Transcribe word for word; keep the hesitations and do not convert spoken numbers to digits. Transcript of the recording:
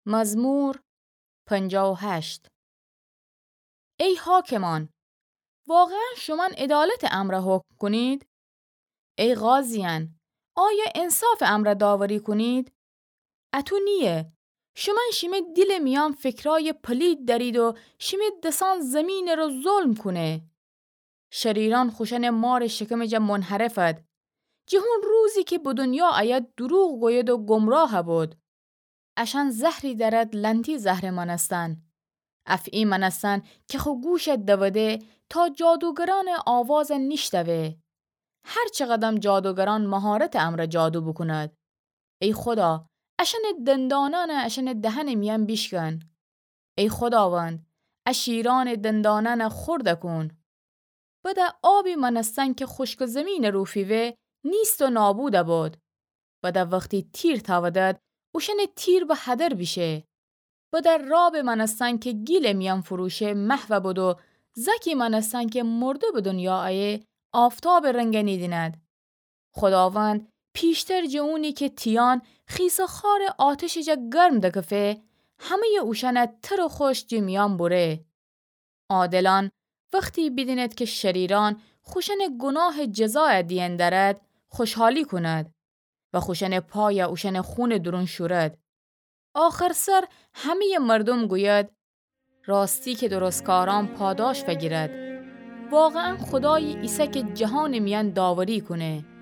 مزمور پنجاه و هشت. ای حاکمان، واقعاً شومأن عدالتٚ امرأ حکم کونید؟ ای قاضیأن، آیا انصافٚ امرأ داوری کونید؟ اطو نییه. شومأن شیمه دیلٚ میأن فکرأیٚ پلید دأرید و شیمه دسأن زیمینٚ رو ظلم کونه. شریرأن خوشأنٚ مارٚ شکمٚ جا منحرفد. جٚه هون روزی کی به دونیا أید دوروغ گوید و گمراه بد. اشأن زهری دأرد لأنتی زهرٚ مأنستن. افعی مأنستن کی خو گوش دوده تا جادوگرأنٚ آواز نیشتوه. هر چقدم جادوگرأن مهارتٚ امرأ جادو بوکوند. ای خودا، اشأنٚ دندانأن اشأنٚ دهنٚ میأن بیشکن. ای خوداوند، ا شیرأنٚ دندانأن خورد کون. بده آبی مأنستن کی خوشکٚ زیمینٚ رو فیوه نیست و نابود بد. بده وختی تیر تأودد، اوشأنٚ تیر به هدر بیشه. بده رابٚ مأنستن کی گیلٚ میأن فروشه محو بد و زأکی مأنستن کی مرده به دونیا أیه آفتابٚ رنگ نیدیند. خوداوند پیشتر جٚه اونی کی تیأن خیسٚ خارٚ آتشٚ جا گرم دکفه، همه‌یٚ اوشأن تر و خوش جٚه میأن بره. عادلأن وختی بیدیند کی شریرأن خوشأنٚ گوناهٚ جزای دئن دأرد، خوشحالی کونید و خوشأنٚ پای اوشأنٚ خونٚ دورون شورید. آخر سر همه‌یٚ مردوم گوید: راستی کی درستکارأن پاداش فگیرد. واقعاً خودایی ایسه کی جهانٚ میأن داوری کونه.